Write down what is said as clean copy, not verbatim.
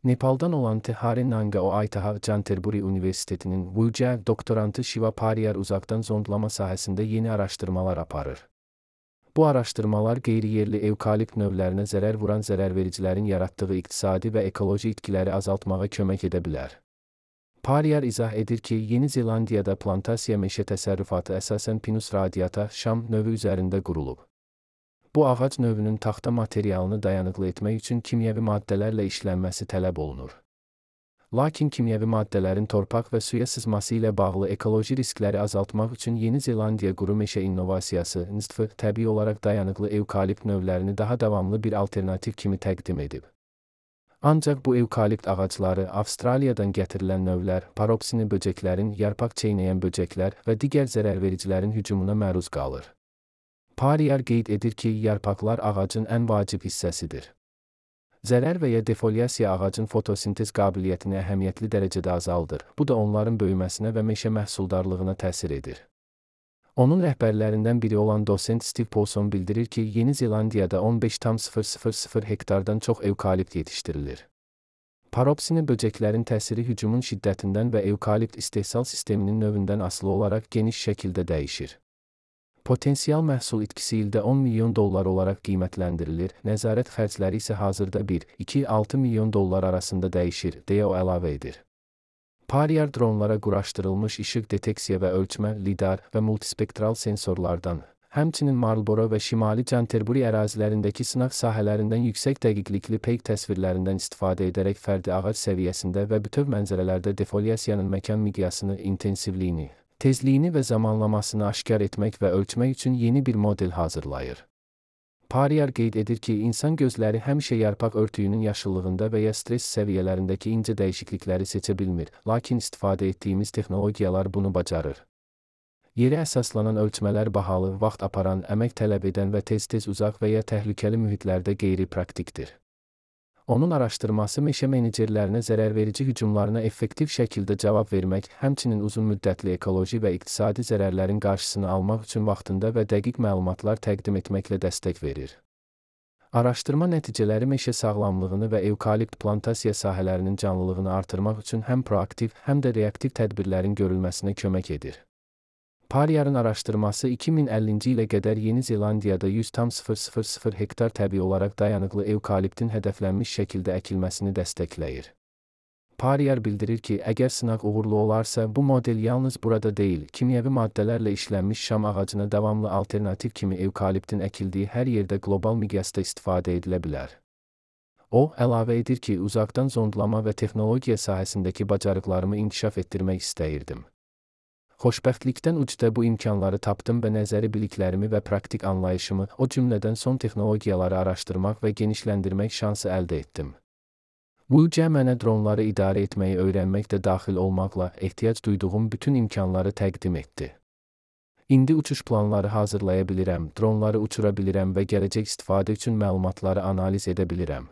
Nepaldan olan Tehari Nanga Aitaha Canterbury Üniversiteti'nin Wuja doktorantı Shiva Pariyar uzaktan zondlama sahəsində yeni araşdırmalar aparır. Bu araşdırmalar qeyri-yerli evkalipt növlərinə zərər vuran zərərvericilərin yaratdığı iqtisadi və ekoloji itkiləri azaltmağa kömək edə bilər. Pariyar izah edir ki, Yeni Zelandiyada plantasiya meşə təsərrüfatı əsasən Pinus radiata şam növü üzərində qurulub. Bu ağac növünün taxta materialını dayanıqlı etmək üçün kimyəvi maddələrlə işlənməsi tələb olunur. Lakin kimyəvi maddələrin torpaq və suya sızması ilə bağlı ekoloji riskləri azaltmaq üçün Yeni Zelandiya quru meşə innovasiyası (NSTF) təbii olaraq dayanıqlı evkalipt növlərini daha davamlı bir alternativ kimi təqdim edib. Ancaq bu evkalipt ağacları Avstraliyadan gətirilən növlər, paropsini böcəklərin, yarpaq çeynəyən böcəklər və digər zərərvericilərin hücumuna məruz qalır. Pariyar qeyd edir ki, yarpaqlar ağacın ən vacib hissəsidir. Zərər və ya defoliasiya ağacın fotosintez qabiliyyətini əhəmiyyətli dərəcədə azaldır. Bu da onların böyüməsinə və meşə məhsuldarlığına təsir edir. Onun rəhbərlərindən biri olan dosent Steve Paulson bildirir ki, Yeni Zelandiyada 15,000 hektardan çox evkalipt yetişdirilir. Paropsini böcəklərin təsiri hücumun şiddətindən və evkalipt istehsal sisteminin növündən asılı olaraq geniş şəkildə dəyişir. Potensial məhsul itkisi ildə 10 milyon dollar olaraq qiymətləndirilir, nəzarət xərcləri isə hazırda 1-2-6 milyon dollar arasında dəyişir, deyə o əlavə edir. Pariyar dronlara quraşdırılmış işıq deteksiya və ölçmə, lidar və multispektral sensorlardan, həmçinin Marlboro və Şimali Canterbury ərazilərindəki sınaq sahələrindən yüksək dəqiqlikli peyk təsvirlərindən istifadə edərək fərdi ağac səviyyəsində və bütöv mənzərələrdə defoliasiyanın məkan miqyasını, intensivliyini, tezliyini və zamanlamasını aşkar etmək və ölçmək üçün yeni bir model hazırlayır. Pariyar qeyd edir ki, insan gözləri həmişə yarpaq örtüyünün yaşıllığında və ya stress səviyyələrindəki incə dəyişiklikləri seçə bilmir, lakin istifadə etdiyimiz texnologiyalar bunu bacarır. Yerə əsaslanan ölçmələr bahalı, vaxt aparan, əmək tələb edən və tez-tez uzaq və ya təhlükəli mühitlərdə qeyri-praktikdir. Onun araşdırması meşə menecerlərinə zərərverici hücumlarına effektiv şəkildə cavab vermək, həmçinin uzunmüddətli ekoloji və iqtisadi zərərlərin qarşısını almaq üçün vaxtında və dəqiq məlumatlar təqdim etməklə dəstək verir. Araşdırma nəticələri meşə sağlamlığını və evkalipt plantasiya sahələrinin canlılığını artırmaq üçün həm proaktiv, həm də reaktiv tədbirlərin görülməsinə kömək edir. Pariyarın araşdırması 2050-ci ilə qədər Yeni Zelandiyada 100,000 hektar təbii olaraq dayanıqlı evkaliptin hədəflənmiş şəkildə əkilməsini dəstəkləyir. Pariyar bildirir ki, əgər sınaq uğurlu olarsa, bu model yalnız burada deyil, kimyəvi maddələrlə işlənmiş şam ağacına davamlı alternativ kimi evkaliptin əkildiyi hər yerdə qlobal miqyasda istifadə edilə bilər. O, əlavə edir ki, uzaqdan zondlama və texnologiya sahəsindəki bacarıqlarımı inkişaf etdirmək istəyirdim. Xoşbəxtlikdən ucda bu imkanları tapdım və nəzəri biliklərimi və praktik anlayışımı, o cümlədən son texnologiyaları araşdırmaq və genişləndirmək şansı əldə etdim. Wuja mənə dronları idarə etməyi öyrənmək də daxil olmaqla ehtiyac duyduğum bütün imkanları təqdim etdi. İndi uçuş planları hazırlaya bilirəm, dronları uçura bilirəm və gələcək istifadə üçün məlumatları analiz edə bilirəm.